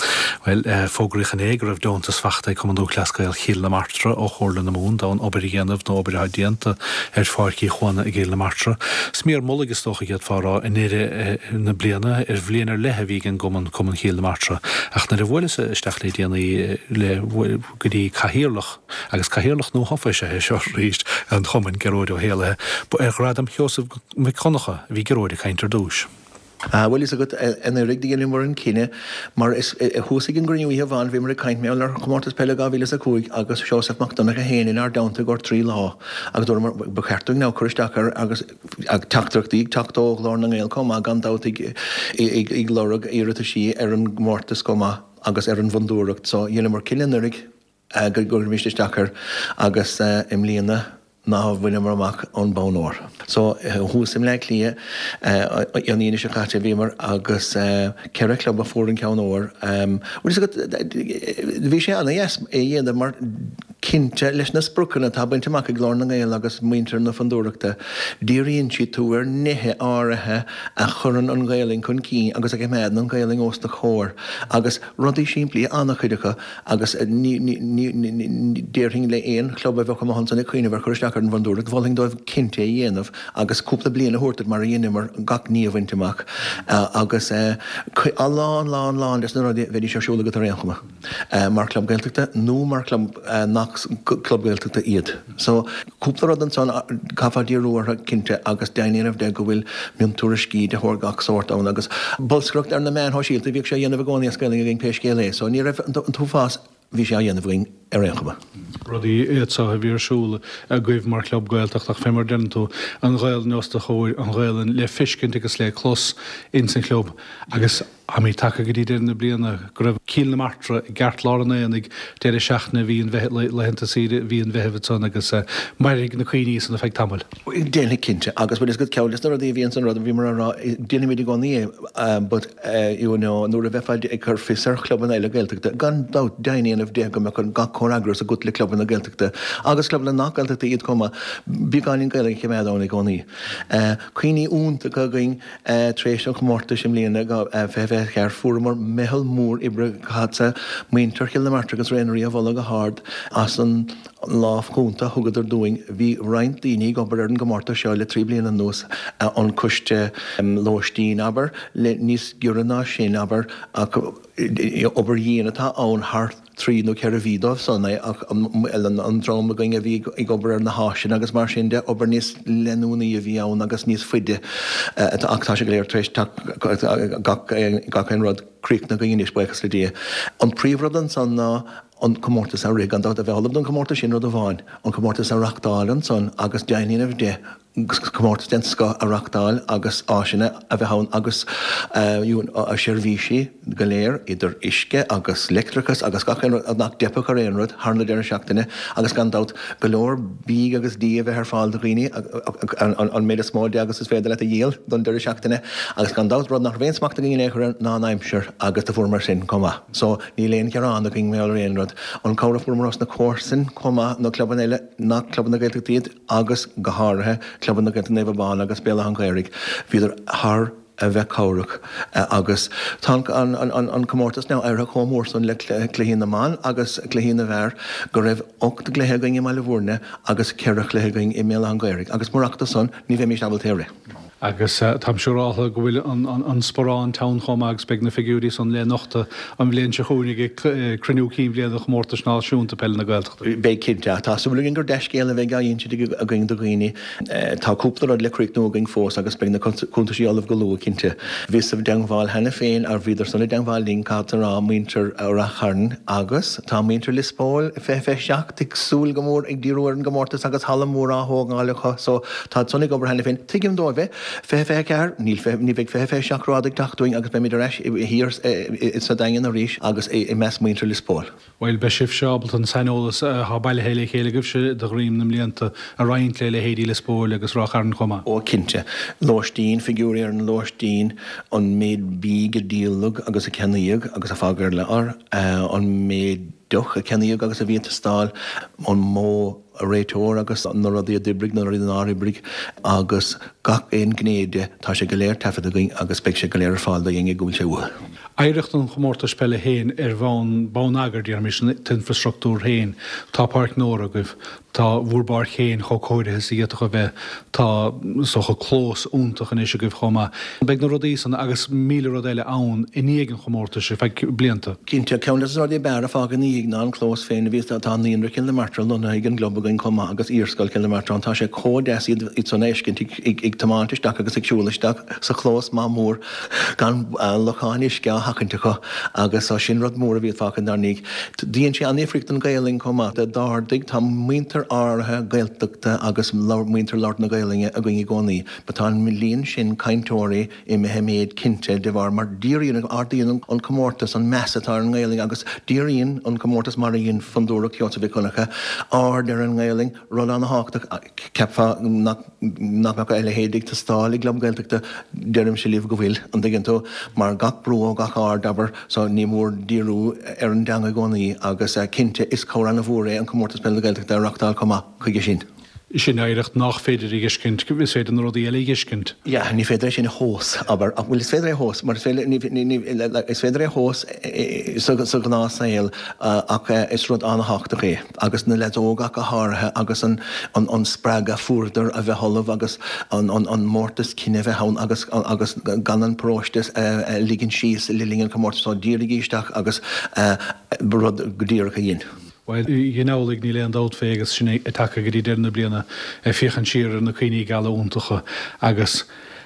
Bhuel, fógraíodh inné go raibh deontas fachta ag Cumann Lúthchleas Gael Chill na Martra ó Chomhairle na Mumhan d'fhonn obair a dhéanamh nó obair atá déanta ar Pháirc Uí Chuana i gCill na Martra. Smior mullaigh is dócha a d'fhéadfá a rá i ndeireadh na bliana ar bhliain ar leith a bhí ag an gcumann, Cumann Chill na Martra. Ach nuair a bhuaileas isteach le déanaí le go dtí cathaoirleach, agus cathaoirleach nuathofa is ea é seo arís, an chumainn, Gearóid Ó hÉallaithe, ba ar Ghradam Sheosaimh Mhic Dhonncha a bhí Gearóid ag caint ar dtús. Bhuel, fhios agat, anuraidh do dheineamar an cinneadh, mar is thuas ag an gcruinniú oíche amháin bhíomar ag caint mar gheall ar Chomórtas Peile 2005 agus Seosamh Mac Donncha féin inár dteannta i gcomhair 3 lá agus dúramar ba cheart dúinn now cur isteach air agus teachtaireachtaí ag teacht ó Ghlór na nGael chomh maith gan dabht ag lorg iarrataisí ar an gcomórtas chomh maith agus ar an bhfondúireacht so dheineamar cinneadh anuraidh go gcuirfimis isteach air agus i mbliana ná bhaineamar amach an bonn óir. So thuas i mBleá Cliath an Aoine seo caite bhíomar agus ceithre chlub a fuair an ceann óir. Bhfuil fhios agat bhí sé ana-dheas é a dhéanamh mar cinnte leis na spriocanna atá bainte amach ag Glór na nGael agus muintir na Fondúireachta díríonn siad tú ar nithe áirithe a chuireann an Ghaelainn chun cinn agus a choimeádann an Ghaelainn os do chomhair agus rudaí simplí an-chuid acu Agus ní déarfainn le aon chlub a bheadh amuigh ansan ag cuimhneamh ar chur isteach ar an bhFondúireacht, mholfainn dóibh cinnte é a dhéanamh agus cúpla bliain a thabhairt duit mar a dheineamar gach ní a bhaint amach. Agus a lán, lán, lán des na rudaí bheidís ar siúl agat ar aon chuma, mar chlub Gaeltachta nó mar chlub nach club Gaeltachta iad. So, cúpla rud ansan caithfeá díriú orthu cinnte agus deimhin a dhéanamh de go bhfuil miontuairiscí de shórt gach sórt ann agus bolscaireacht ar na meáin shóisialta, bhíodh sé á dhéanamh i gcónaí as Gaelainn againn pé scéal é so ní raibh an t-uafás, bhí sé á dhéanamh againn ar aon chuma. Rudaí iad seo a bhí ar siúl agaibh mar chlub Gaeltachta ach fé mar a deireann tú, an Ghaelainn os do chomhair, an Ghaelainn le feiscint agus le clos ins an chlub agus. Táimid tagtha go dtí deireadh na bliana go raibh Cill na Martra i gceartlár an aonaigh deireadh seachtaine mhí an Mheithimh, laethanta saoire mhí an Mheithimh ansan agus mairfidh na cuimhní san ar feadh tamaill. Déanfaidh cinnte agus bhfuil fhios agat ceann des na rudaí a bhíonn san rud a bhíomar á rá, déanaimid i gcónaí é but you know nuair a bheifeá ag cur fios ar chlubanna eile Gaeltachta, gan dabht deimhin a dhéanamh de go mbeadh gach comhfhreagras agat le clubanna Gaeltachta agus clubanna nach Gaeltachta iad chomh maith, beagáinín Gaeilge a choimeád ann i gcónaí. Cuimhní iontacha againn. Tar éis an chomórtais i mbliana, 2024, fuaireamar meitheal mór oibre caithfeadsa muintir Chill na Martra agus Raonaithe a mholadh go hard as an lámh chúnta a thugadar dúinn. Bhí roinnt daoine ag obair ar an gcomórtas seo le 3 bliana anuas, an coiste lóistín, abair, le níos giorra ná sin, abair, ach obair dhian atá ann thar 3 nó 4 mhí dóibh san é ach an dream againn a bhí ag obair ar na háiseanna agus mar sin de, obair níos leanúnaí a bhí ann agus níos faide ach tá sé go léir tar éis gach aon rud críochnaithe againn anois, buíochas le Dia. An príomhrud ansan ná an comórtas a rith, gan dabht, a bheith ullamh don chomórtas sin rud amháin, an comórtas a reachtáil ansan agus deimhin a dhéanamh de comórtas den scoth a reachtáil agus áiseanna a bheith ann agus seirbhísí go léir idir uisce agus leictreachas agus gach aon rud nach dteipfeadh ar aon rud thar na deireadh seachtaine agus gan dabht go leor bídh agus dí a bheith ar fáil do dhaoine an méid is mó de agus is féidir leat a dhíol don deireadh seachtaine agus gan dabht rud nach raibh aon smacht againn in aon chor air ná an aimsir agus do fuaireamar sin chomh maith so níl aon ghearán againn mar gheall ar aon rud. An cabhair a fuaireamar ós na comharsain chomh maith na clubanna eile nach clubanna Gaeltachta iad. agus go háirithe Clubanna Gaeltachta Naomh Abán agus Béal Átha an Ghaorthaidh, bhíodar thar a bheith cabhrach agus tá an comórtas now éirithe chomh mór san le cluichí na mban agus cluichí na bhfear go raibh 8 gcluiche againn i mBaile Bhúirne agus 4 chluiche againn i mBéal Átha an Ghaorthaidh agus murach do san ní bheimis ábalta é a rith. Agus táim siúráltha go bhfuil an sparán teann chomh maith agus beidh na figiúirí san le nochtadh an bhliain seo chugainn ag cruinniú cinn bhliana Chomórtais Náisiúnta Peile na Gaeltachta. Beidh cinnte. Ach tá súil againn gur dea-scéal a bheidh á insint againn do dhaoine. Tá cúpla rud le críochnú againn fós agus beidh na cuntaisí ullamh go luath, cinnte. Bhíos i dteangmháil cheana féin, ar bhíodar san i dteangmháil linn, caithfeadsa a rá, muintir Rath Chairn agus tá muintir Lios Póil 2027 ag súil go mór ag díriú ar an gcomórtas agus halla mór á thógáil acu so Táid san ag obair cheana féin. Tuigim dóibh é. 2024, níl, ní bheidh 2027 rófhada ag teacht uainn agus beimid ar ais thiar sa Daingean arís agus i measc muintir Lios Póil. Bhuel, beidh sibhse ábalta an saineolas atá bailithe le chéile agaibhse de dhroim na mblianta a roinnt le leithéidí Lios Póil agus Ráth Chairn chomh maith. Ó, cinnte. Lóistín, figiúirí ar an lóistín, an méid bídh a díoladh agus a ceannaíodh agus a fágadh ar lár, an méid deoch a ceannaíodh agus a bhí ag teastáil, an modh réiteoir agus na rudaí a d'oibrigh, na rudaí nár oibrigh agus gach aon ghné de, tá sé go léir taifeadta againn agus beidh sé go léir ar fáil do éinne go bhfuil sé uathu. Oidhreacht an chomórtais peile féin ar bhonn bonneagair, déarfaimis, an t-infreastruchtúr féin, tá Páirc Nóra agaibh, tá bhur bpáirc féin chomh cóirithe is a d'fhéadfadh a bheith, tá, is dócha, clós iontach anois agaibh chomh maith. Beidh na rudaí san agus 1,000 rud eile ann i ndiaidh an chomórtais ar feadh blianta. Cinnte, ceann de na rudaí ab fhearr a fágadh ina dhiaidh ná an clós féin a bhí Tá Naíonra Chill na Martra lonnaithe ag an gclub againn chomh maith agus Iarscoil Chill na Martra ann. Tá sé chomh deas iad san a fheiscint ag tiomáint isteach agus ag siúl isteach sa chlós maith mór gan locháin uisce á sheachaint acu agus sin rud mór a bhí fágtha inár ndiaidh. Dhein sé an-difríocht don Ghaelainn chomh maith. D'ardaigh, tá muintir áirithe Gaeltachta agus muintir labhairt na Gaelainne againn i gcónaí but tá an líon sin cainteoirí imithe i méid cinnte de bharr mar díríonn, ardaíonn an comórtas an meas atá ar an nGaelainn agus díríonn an comórtas mar a dhein Fondúireacht Sheosaimh Mhic Dhonncha aird ar an nGaelainn, rud an-thábhachtach, cheapfá nach mbeadh a leithéid ag teastáil i gclub Gaeltachta, deirimse libh go bhfuil, an dtuigeann tú, mar gach brú ó gach aird, abair, so ní mór díriú ar an dteanga i gcónaí agus cinnte is cabhair an-mhór é an Comórtas Peile na Gaeltachta a reachtáil chomh maith chuige sin. Sin oidhreacht nach féidir a dh'fheiscint, is féidir na rudaí eile a dh'fheiscint. Yeah, ní féidir é sin a thomhas, abair, ach bhuel is féidir é a thomhas, mar is féidir, ní, ní, ní, is féidir é a thomhas sa, sa ghnáthshaol ach is rud an-thábhachtach é agus na leaids óga ach go háirithe agus an, an, an spreagadh a fuaireadar a bheith ullamh agus an, an, an mórtas cine a bheith ann agus, agus gan an paróiste a ligean síos le linn an chomórtais so dírigí isteach agus rud go díreach a dhein. Bhuel, dhein amhlaidh, níl aon dabht fé, agus sinn ag tagtha go dtí deireadh na bliana, ag féachaint siar ar na cuimhní geala iontacha agus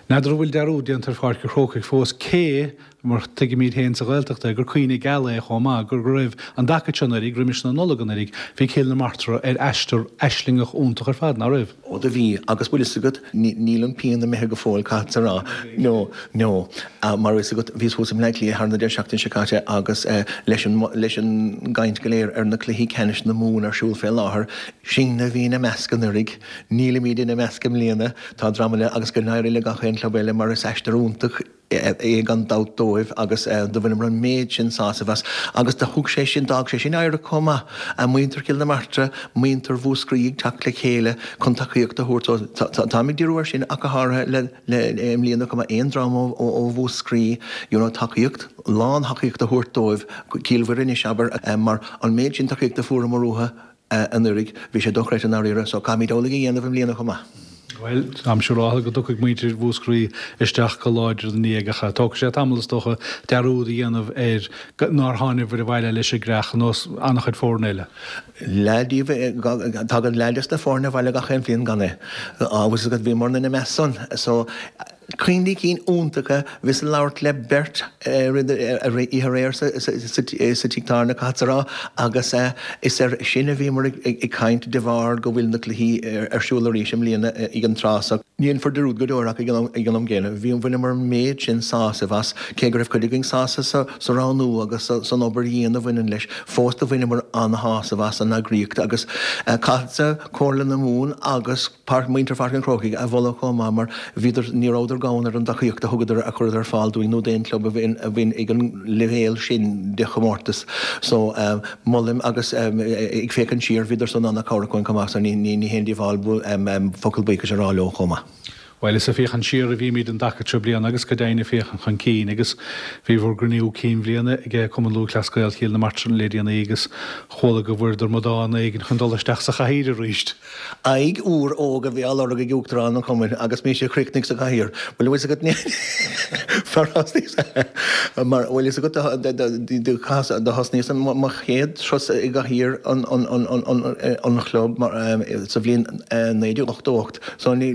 n'fheadar an bhfuil dearúd déanta ar Pháirc an Chrócaigh fós, cé, mar tuigimid féin sa Ghaeltacht é, gur cuimhne geal é chomh maith, go raibh an dtaca seo anuraidh, roimis na Nollag anuraidh, bhí Cill na Martra ar aistear aislingeach iontach ar fad, ná raibh? Ó do bhí, agus bhfuil fhios agat, níl an pian imithe go fóill, caithfeadsa a rá. No, no. Mar bhfuil fhios agat, bhíos thuas i mBleá Cliath thar na deireadh seachtaine seo caite agus leis an, leis an gcaint go léir ar na cluichí ceannais na Mumhan ar siúl fé láthair, sinne a bhí ina measc anuraidh, nílimid ina measc i mbliana, tá dream eile agus go n-éirí le gach aon club eile mar is aistear iontach é gan dabht dóibh agus do bhaineamar an méid sin sásaimh as agus do thug sé sin, d'fhág sé sin oidhreacht chomh maith, muintir Chill na Martra, muintir Mhúscraí ag teacht le chéile chun tacaíocht a thabhairt so táim ag díriú air sin ach go háirithe le le i mbliana chomh maith aon dream ó ó Mhúscraí you know tacaíocht, lán thacaíocht a thabhairt dóibh, Cill Mhuire anois abair mar an méid sin tacaíochta a fuaireamar uathu. anuraidh. Bhí sé dochreidte i ndáiríre, so caithfimid amhlaidh a dhéanamh i mbliana chomh maith. Bhuel, táim siúráltha go dtiocfaidh muintir Mhúscraí isteach go láidir ina ndiaidh ach tógfaidh sé tamall is dócha dearúd a dhéanamh ar nár tháinibhir abhaile leis an gcreach ar nós an-chuid foirne eile. Leath díobh, tagann leath des na foirne abhaile gach aon bhliain gan é. Agus bhíomar ina measc san. So. Cuimhní cinn iontacha, bhíos ag labhairt le beirt oíche aréir sa tigh tábhairne, caithfeadsa a rá, agus is air sin a bhíomar ag caint de bharr go bhfuil na cluichí ar siúl arís i mbliana ag an tráth so. Ní dhéanfar dearúd go deo air ach ag an am gcéanna, bhí, bhaineamar an méid sin sásaimh as, cé go raibh cuid againn sásta sa roghnú agus san obair dhian a bhaineann leis, fós do bhaineamar an-shásamh as an eagraíocht agus caithfeadsa Comhairle na Mumhan agus. Páirc, muintir Pháirc an Chrócaigh a mholadh chomh maith mar bhíodar, ní rabhadar gann ar an dtacaíocht a thugadar, a chuireadar ar fáil dúinn nó d'aon chlub a bhíonn ag an leibhéal sin de chomórtas. So, molaim agus ag féachaint siar, bhíodar san an-chabhrach dúinn chomh maith so ní haon díobháil focal buíochais a rá leo chomh maith. Bhuel, is ag féachaint siar a bhímid an dtaca seo bliana agus go deimhin ag féachaint chun cinn agus bhí bhur gcruinniú cinn bhliana ag Cumann Lúthchleas Gael Chill na Martra le déanaí agus chuala go bhfuaireadar amadán éigin chun dul isteach sa chathaoir arís. Aghaidh úr óg a bhí á lorg ag Uachtarán an Chumainn agus mise a chríochnaigh sa chathaoir. Bhuel, bhfuil fhios agat fear mar bhfuil fhios agat do thosnaíos mo chéad turas i gcathaoir an chlub sa bhliain 1988. So ní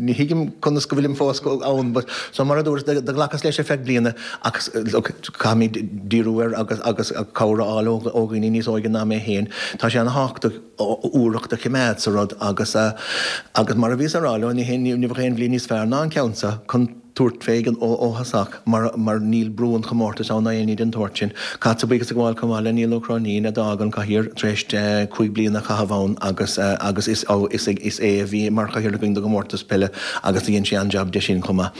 ní thuigim conas go bhfuilim fós ann but so mar a dúras do ghlacas leis ar feadh bliana ach look caithfimid díriú air agus agus cabhair a fháil ó ó dhaoine níos óige ná mé féin. Tá sé ana-thábhachtach úireacht a choimeád sa rud agus agus mar a bhíos a rá leo ní ní bheadh aon bhliain níos fearr ná an ceann seo chun tabhairt fé ó thosach mar mar níl brú an chomórtais ann ná aon ní den tsórt sin. Caithfeadsa buíochas a ghabháil chomh maith le Niall Ó Cróinín a d'fhág an chathaoir tar éis 5 bliana a chaitheamh ann agus agus is is is é a bhí mar chathaoirleach againn don gcomórtas peile agus do dhein sé an-jab de sin chomh maith.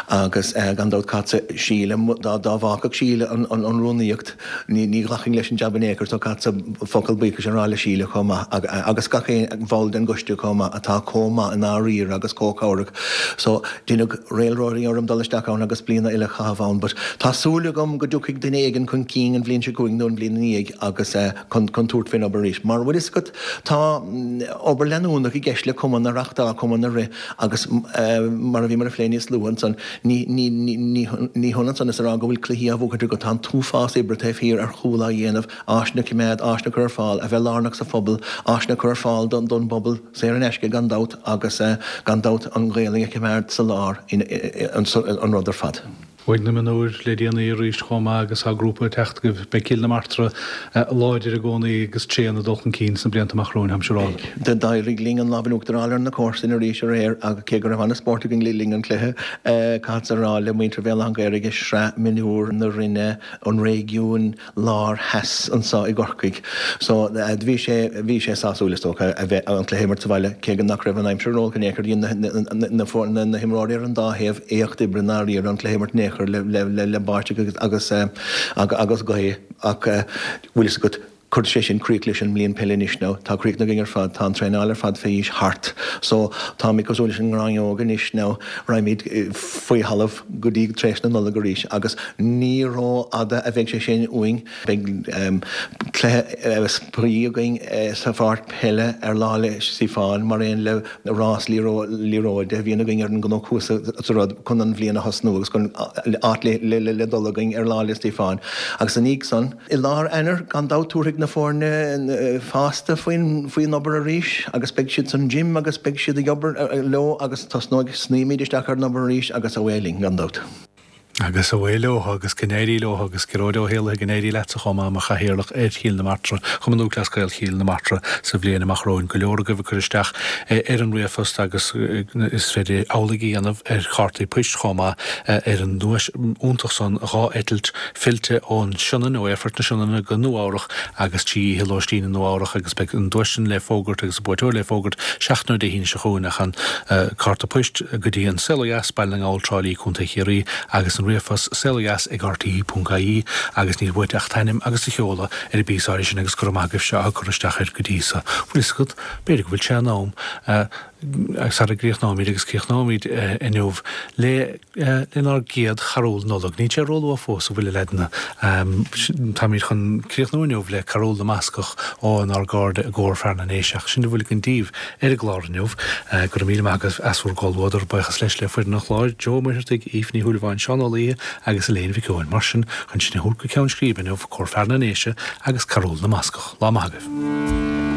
Agus gan dabht caithfeadsa Síle dá dá bhfágfadh Síle an an an rúnaíocht Ní ní ghlacfainn leis an jab in aon chor so caithfeadsa focal buíochais a rá le Síle chomh maith agus gach aon bhall den gcoiste chomh maith atá chomh maith i ndáiríre agus chomh cabhrach. So deineadh réalróirí orm dul isteach ann agus bliana eile a chaitheamh ann but tá súil agam go dtiocfaidh duine éigin chun cinn an bhliain seo chugainn nó an bhliain ina dhiaidh agus chun chun tabhairt faoin obair arís. Mar bhfuil fhios agat tá obair leanúnach i gceist le cumann a reachtáil, cumann a rith agus mar a bhíomar a phlé níos luaithe ansan Ní hionann san is a rá go bhfuil cluichí á bhuachaint agat, tá an t-uafás oibre taobh thiar ar chúl á dhéanamh, áiseanna a choimeád, áiseanna a chur ar fáil, a bheith lárnach sa phobal, áiseanna a chur ar fáil don bpobal, saor in aisce gan dabht, agus gan dabht an Ghaelainn a choimeád sa lár an rud ar fad. Bhuaigh na mionúir le déanaí arís chomh maith agus tá grúpa ag teacht agaibh. Beidh Cill na Martra láidir i gcónaí agus tréan ag dul chun cinn sna blianta amach romhainn, táim siúráilte. D'éirigh linn an lámh in uachtar a fháil ar na comharsana arís aréir agus cé go raibh an-spórt againn le linn an chluiche, caithfeadsa a rá le muintir Bhéal Átha an Ghaorthaidh i Sraith Mionúr na Rinne an Réigiúin Lár Theas anseo i gCorcaigh. So bhí sé, bhí sé sásúil is dócha a bheith an cluiche a imirt sa bhaile cé go nach raibh an aimsir ró-olc in aon chor. Dhein na, na, na himreoirí ar an dá thaobh éacht oibre i ndáiríre an cluiche a imirt in aon chor le, le, le báisteach agus, agus, agus gaoth ach bhfuil fhios agat, Cuirfidh sé sin críoch leis an mbliain peile anois now. Tá críochnaithe againn ar fad. Tá an traenáil ar fad fé aois thart. So, táimid cosúil leis an ngráinneog anois now. Raghaimid faoi thalamh go dtí tar éis na Nollag arís agus ní ró-fhada a bheidh sé sin uainn. Beidh cluiche spraoi againn sa pháirc peile ar Lá 'le Stiofáin mar aon le rás liathróide a bhíonn againn ar an gcnoc thuas sa rud chun an bhliain a thosnú agus chun áit le dul againn ar Lá 'le Stiofáin. Agus ina dhiaidh san, I lár Eanáir, gan dabht, tabharfaidh na foirne fásta faoin obair arís agus beidh siad san gym agus beidh siad ag obair leo agus tosnóidh, snoífimid isteach ar an obair arís agus away linn, gan dabht. Agus away leo agus go n-éirí leo agus Gearóid Ó hÉallaithe go n-éirí leatsa chomh maith mar chathaoirleach ar Chill na Martra, Chumann Lúthchleas Gael Chill na Martra sa bhliain amach romhainn. Go leor agaibh ag cur isteach ar an ríomhphost agus is féidir amhlaidh a dhéanamh ar chártaí poist chomh maith ar an nduais iontach san, 2 eitilt fillte ón Sionainn, ó Aerfort na Sionainne go Nua Eabhrach agus 3 oíche lóistín i Nua Eabhrach agus beidh an duais sin le fógairt agus an buaiteoir le fógairt seachtain ó Dé hAoine seo chugainn ach an cárta poist go dtí An Saol Ó Dheas, Baile na nGall, Trá Lí, Co. Chiarraí agus an ríomhphost saolodheas@rte.ie agus níl uait ach t'ainm agus do sheoladh ar an bpíosa áirithe sin agus go raibh maith agaibhse atá ag cur isteach air go dtí so. Bhfuil fhios agat, b'fhéidir go bhfuil sé in am sara gcríochnóimid agus críochnóimid inniu le lenár gcéad charúl Nollag. Níl sé róluath fós, an bhfuil, a leaideanna? Táimid chun críochnú inniu le Carúl na mBascach ónár gcairde i gCór Fear na nDéise. Ach sin a bhfuil againn daoibh ar an gclár inniu. Go raibh míle maith agaibh as bhur gcomhluadar. Buíochas leis le foireann an chláir, Joe Ó Muircheartaigh, Aoife Ní Shúilleabháin, Seán Ó Laoithe agus Elaine Mhic Eoin. Mar sin, chun sinn a thabhairt go ceann scríbe inniu, Cór Fear na nDéise agus Carúl na mBascach. Lá maith agaibh.